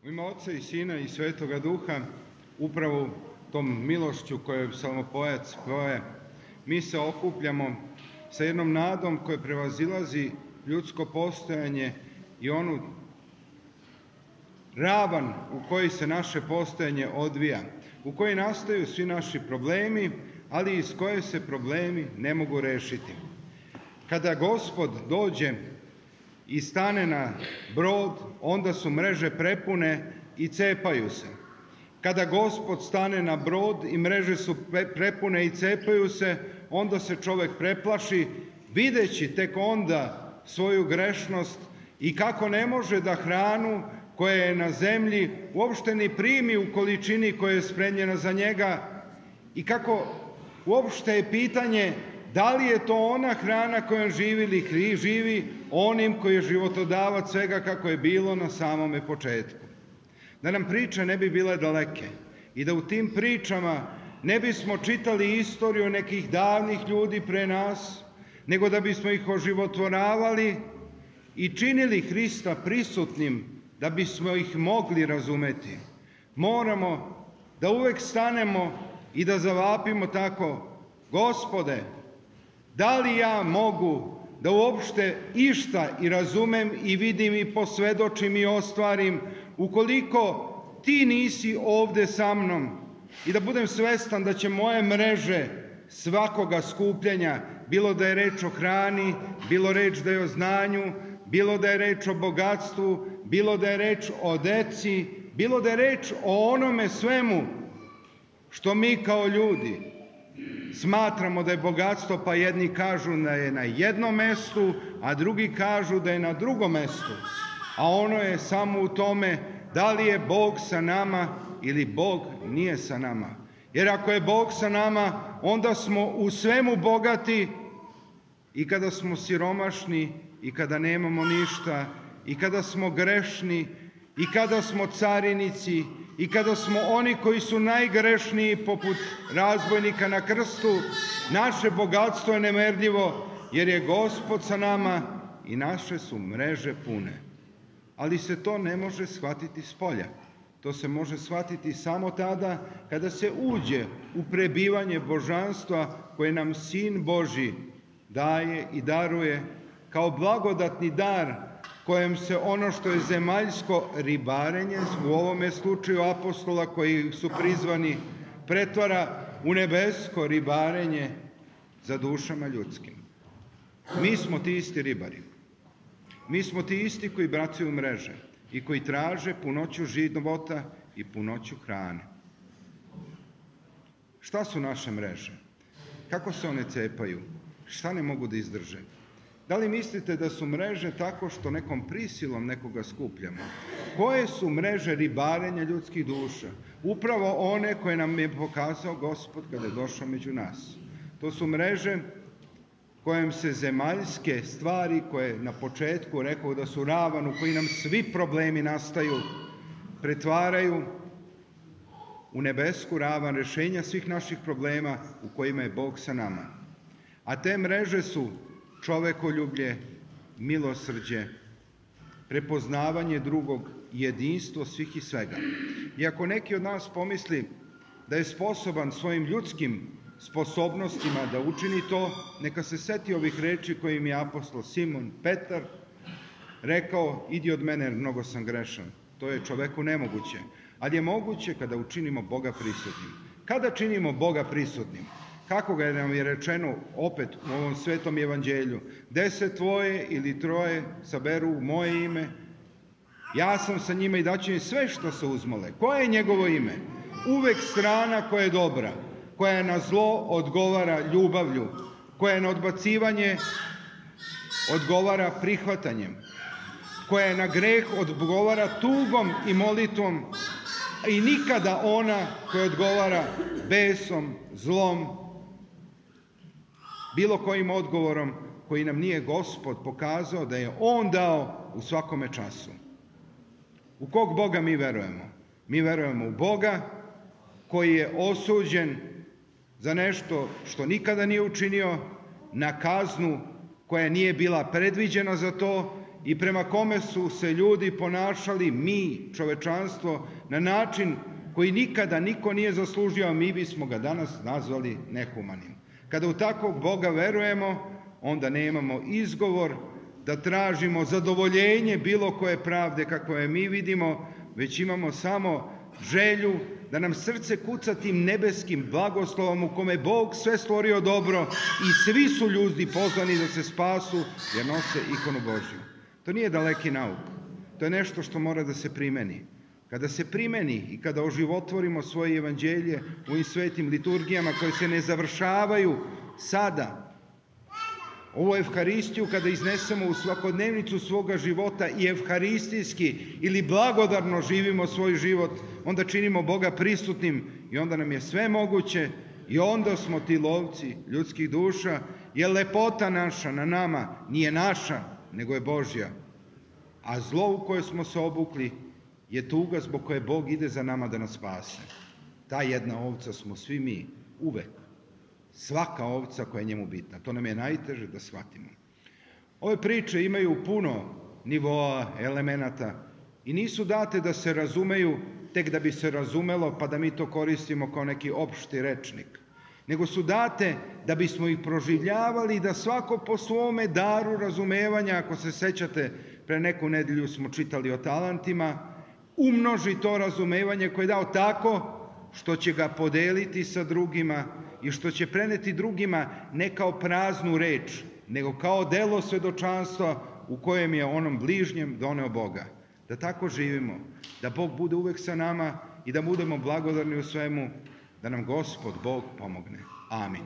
U ime Oca i Sina i Svetoga Duha, upravo tom milošću koju psalmopojac poje, mi se okupljamo sa jednom nadom koja prevazilazi ljudsko postojanje i onu ravan u kojoj se naše postojanje odvija, u kojoj nastaju svi naši problemi, ali iz koje se problemi ne mogu rešiti. Kada Gospod dođe i stane na brod, onda su mreže prepune i cepaju se. Kada Gospod stane na brod i mreže su prepune i cepaju se, onda se čovek preplaši, videći tek onda svoju grešnost i kako ne može da hranu koja je na zemlji uopšte ni primi u količini koja je spremljena za njega i kako uopšte je pitanje da li je to ona hrana kojom živi ili živi onim koji je životodavac svega kako je bilo na samome početku. Da nam priče ne bi bile daleke i da u tim pričama ne bismo čitali istoriju nekih davnih ljudi pre nas, nego da bismo ih oživotvoravali i činili Hrista prisutnim da bismo ih mogli razumeti. Moramo da uvek stanemo i da zavapimo tako: Gospode, da li ja mogu da uopšte išta i razumem i vidim i posvedočim i ostvarim ukoliko ti nisi ovde sa mnom, i da budem svestan da će moje mreže svakoga skupljanja, bilo da je reč o hrani, bilo reč da je o znanju, bilo da je reč o bogatstvu, bilo da je reč o deci, bilo da je reč o onome svemu što mi kao ljudi smatramo da je bogatstvo, pa jedni kažu da je na jednom mestu, a drugi kažu da je na drugom mestu. A ono je samo u tome da li je Bog sa nama ili Bog nije sa nama. Jer ako je Bog sa nama, onda smo u svemu bogati, i kada smo siromašni, i kada nemamo ništa, i kada smo grešni, i kada smo carinici, i kada smo oni koji su najgrešniji poput razbojnika na krstu, naše bogatstvo je nemerljivo, jer je Gospod sa nama i naše su mreže pune. Ali se to ne može shvatiti spolja. To se može shvatiti samo tada kada se uđe u prebivanje božanstva koje nam Sin Božji daje i daruje kao blagodatni dar kojem se ono što je zemaljsko ribarenje, u ovome slučaju apostola koji su prizvani, pretvara u nebesko ribarenje za dušama ljudskim. Mi smo ti isti ribari. Mi smo ti isti koji bacaju mreže i koji traže punoću života i punoću hrane. Šta su naše mreže? Kako se one cepaju? Šta ne mogu da izdrže? Da li mislite da su mreže tako što nekom prisilom nekoga skupljamo? Koje su mreže ribarenja ljudskih duša? Upravo one koje nam je pokazao Gospod kada je došao među nas. To su mreže kojem se zemaljske stvari, koje na početku rekao da su ravan u koji nam svi problemi nastaju, pretvaraju u nebesku ravan rešenja svih naših problema u kojima je Bog sa nama. A te mreže su čovekoljublje, milosrđe, prepoznavanje drugog, jedinstvo svih i svega. I ako neki od nas pomisli da je sposoban svojim ljudskim sposobnostima da učini to, neka se seti ovih reči kojim je apostol Simon Petar rekao: idi od mene, mnogo sam grešan. To je čoveku nemoguće, ali je moguće kada učinimo Boga prisutnim. Kada činimo Boga prisutnim? Kako ga nam je rečeno opet u ovom svetom evanđelju: 10 tvoje ili troje saberu u moje ime, ja sam sa njima i daću im sve što se uzmole. Koje je njegovo ime? Uvek strana koja je dobra, koja na zlo odgovara ljubavlju, koja na odbacivanje odgovara prihvatanjem, koja na greh odgovara tugom i molitvom, i nikada ona koja odgovara besom, zlom, bilo kojim odgovorom koji nam nije Gospod pokazao da je On dao u svakome času. U kog Boga mi verujemo? Mi verujemo u Boga koji je osuđen za nešto što nikada nije učinio, na kaznu koja nije bila predviđena za to i prema kome su se ljudi ponašali, mi, čovečanstvo, na način koji nikada niko nije zaslužio, a mi bismo ga danas nazvali nehumanim. Kada u takvog Boga verujemo, onda nemamo izgovor da tražimo zadovoljenje bilo koje pravde kako je mi vidimo, već imamo samo želju da nam srce kuca tim nebeskim blagoslovom u kome Bog sve stvorio dobro i svi su ljudi pozvani da se spasu jer nose ikonu Božju. To nije daleki nauk. To je nešto što mora da se primeni. Kada se primeni i kada oživotvorimo svoje evanđelje u ovim svetim liturgijama koje se ne završavaju sada, ovu evharistiju kada iznesemo u svakodnevnicu svoga života i evharistijski ili blagodarno živimo svoj život, onda činimo Boga prisutnim i onda nam je sve moguće i onda smo ti lovci ljudskih duša, jer lepota naša na nama nije naša, nego je Božja. A zlo u koje smo se obukli je tuga zbog koje Bog ide za nama da nas spase. Ta jedna ovca smo svi mi, uvek. Svaka ovca koja je njemu bitna. To nam je najteže da shvatimo. Ove priče imaju puno nivoa, elemenata i nisu date da se razumeju tek da bi se razumelo pa da mi to koristimo kao neki opšti rečnik. Nego su date da bismo ih proživljavali i da svako po svome daru razumevanja, ako se sećate, pre neku nedelju smo čitali o talentima, umnoži to razumevanje koje je dao tako što će ga podeliti sa drugima i što će preneti drugima ne kao praznu reč, nego kao delo svedočanstva u kojem je onom bližnjem doneo Boga. Da tako živimo, da Bog bude uvek sa nama i da budemo blagodarni u svemu, da nam Gospod Bog pomogne. Amin.